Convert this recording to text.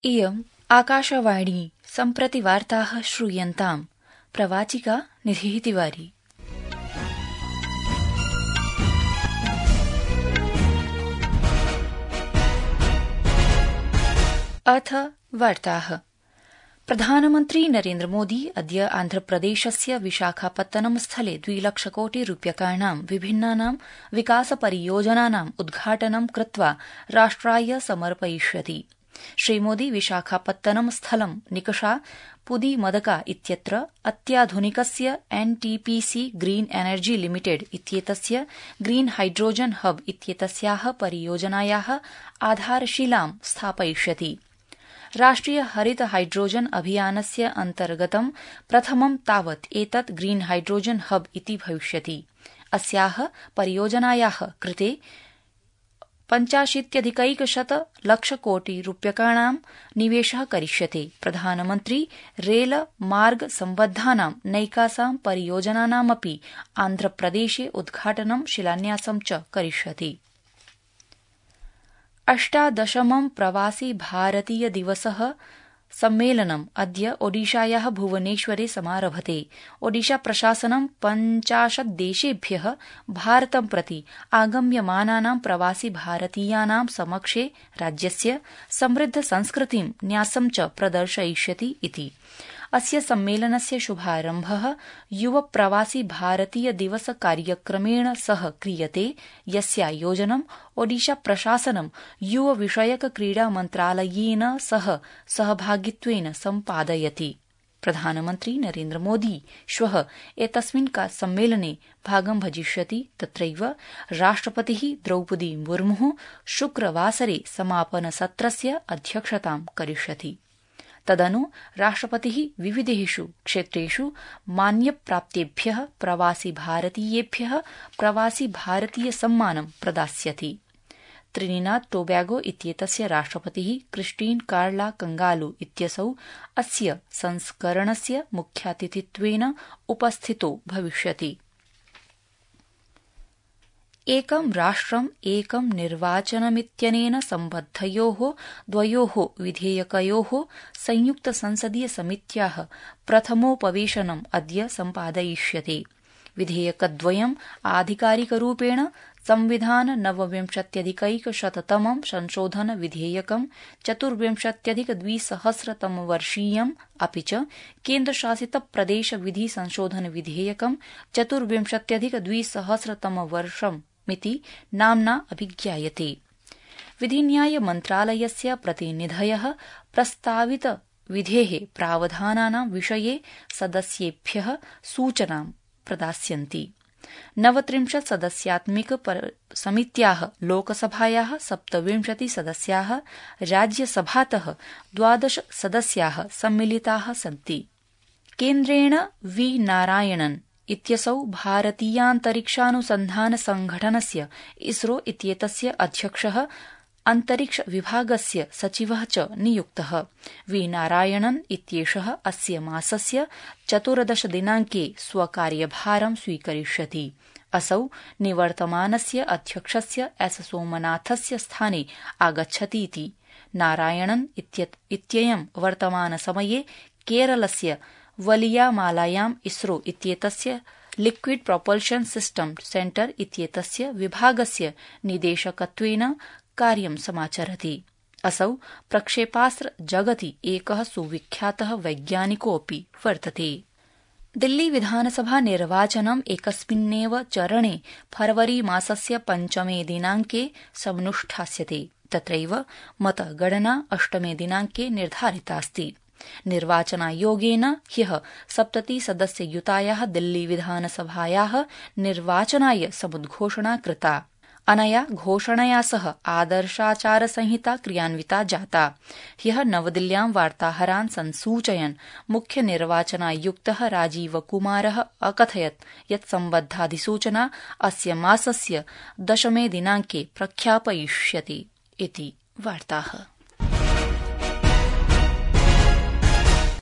इयम् आकाशवाणी सम्प्रति वार्ताः श्रूयन्ताम्। प्रवाचिका निधिः तिवारी। अथ वार्ताः। प्रधानमन्त्री नरेन्द्र मोदी अद्य आन्ध्रप्रदेशस्य विशाखापत्तनम स्थले 2 लक्षकोटिरूप्यकाणां विभिन्नानां विकासपरियोजनानाम् उद्घाटनं कृत्वा राष्ट्राय समर्पयिष्यति। श्रीमोदी विशाखापत्तनम स्थलं निकषा पुदीमदका इत्यत्र अत्याधुनिकस्य एनटीपीसी ग्रीन एनर्जी लिमिटेड इत्येतस्य ग्रीन हाइड्रोजन हब इत्येतस्याः परियोजनायाः आधारशिलां स्थापयिष्यति। राष्ट्रिय हरित हाइड्रोजन अभियानस्य अन्तर्गतं प्रथमं तावत् एतत् ग्रीन हाइड्रोजन हब इति भविष्यति। अस्याः परियोजनायाः कृते 85,100 लक्षकोटिरूप्यकाणां निवेशः करिष्यते। प्रधानमन्त्री रेल मार्ग सम्बद्धानां नैकासां परियोजनानामपि आन्ध्रप्रदेशे उद्घाटनं शिलान्यासं च करिष्यति। 18मं प्रवासी भारतीय दिवसः सम्मेलनम् अद्य ओडिशायाः भुवनेश्वरे समारभते। ओडिशा प्रशासनं 50 देशेभ्यः भारतं प्रति आगम्यमानानां प्रवासी भारतीयानां समक्षे राज्यस्य समृद्ध संस्कृतिं न्यासं च प्रदर्शयिष्यति इति। अस्य सम्मेलनस्य शुभारम्भः युव प्रवासी भारतीय दिवस कार्यक्रमेण सह क्रियते, यस्यायोजनं ओडिशा प्रशासनं युव विषयक क्रीडा मन्त्रालयेन सह सहभागित्वेन सम्पादयति। प्रधानमन्त्री नरेन्द्र मोदी श्वः एतस्मिन् सम्मेलने भागं भजिष्यति। तत्रैव राष्ट्रपतिः द्रौपदी मुर्मुः शुक्रवासरे समापनसत्रस्य अध्यक्षतां करिष्यति। तदनु राष्ट्रपतिः विविधेषु क्षेत्रेषु मान्यप्राप्तेभ्यः प्रवासी भारतीयेभ्यः प्रवासी भारतीय सम्मानं प्रदास्यति। त्रिनिदाद टोबैगो इत्येतस्य राष्ट्रपतिः क्रिस्टीन कार्ला कंगालू इत्यसौ अस्य संस्करणस्य मुख्यातिथित्वेन उपस्थितो भविष्यति। एकं राष्ट्रम् एकं निर्वाचनमित्यनेन सम्बद्धयोः द्वयोः विधेयकयोः संयुक्त संसदीय समित्याः प्रथमोपवेशनम् अद्य सम्पादयिष्यते। विधेयकद्वयम् आधिकारिकरूपेण संविधान 29,100तमं संशोधन विधेयकं 24,200तमवर्षीयम् अपि च केन्द्रशासित प्रदेश विधि संशोधन विधेयकं 24,200तमवर्षम् मिति नाम्ना अभिज्ञायते। विधिन्याय मन्त्रालयस्य प्रतिनिधयः प्रस्तावित विधेः प्रावधानानां विषये सदस्येभ्यः सूचनां प्रदास्यन्ति। 39 सदस्यात्मिक समित्याः लोकसभायाः 27 सदस्याः राज्यसभातः 12 सदस्याः सम्मिलिताः सन्ति। केन्द्रेण वी नारायणन् इत्यसौ भारतीयान्तरिक्षानुसन्धान संघटनस्य इसरो इत्येतस्य अध्यक्षः अन्तरिक्ष विभागस्य सचिवः च नियुक्तः। वी नारायणन् इत्येषः अस्य मासस्य 14 दिनाङ्के स्वकार्यभारं स्वीकरिष्यति। असौ निवर्तमानस्य अध्यक्षस्य एस सोमनाथस्य स्थाने आगच्छतीति। नारायणन् इत्ययं वर्तमानसमये केरलस्य वलियामालायाम् इसरो इत्येतस्य लिक्विड प्रोपल्शन सिस्टम सेंटर इत्येतस्य विभागस्य निदेशकत्वेन कार्यं समाचरति। असौ प्रक्षेपास्त्र जगति एकः सुविख्यातः वैज्ञानिकोऽपि वर्तते। दिल्ली विधानसभा निर्वाचनम् एकस्मिन्नेव चरणे फरवरी मासस्य 5 दिनाङ्के समनुष्ठास्यते। तत्रैव मतगणना 8 दिनाङ्के निर्धारितास्ति। निर्वाचनायोगेन ह्यः 70 सदस्ययुतायाः दिल्ली विधानसभायाः निर्वाचनाय समुद्घोषणा कृता। अनया घोषणया सह आदर्शाचारसंहिता क्रियान्विता जाता। ह्यः नवदिल्ल्यां वार्ताहरान् संसूचयन् मुख्य निर्वाचनायुक्तः राजीव कुमारः अकथयत् यत् सम्बद्धाधिसूचना अस्य मासस्य 10 दिनाङ्के प्रख्यापयिष्यति इति वार्ताः।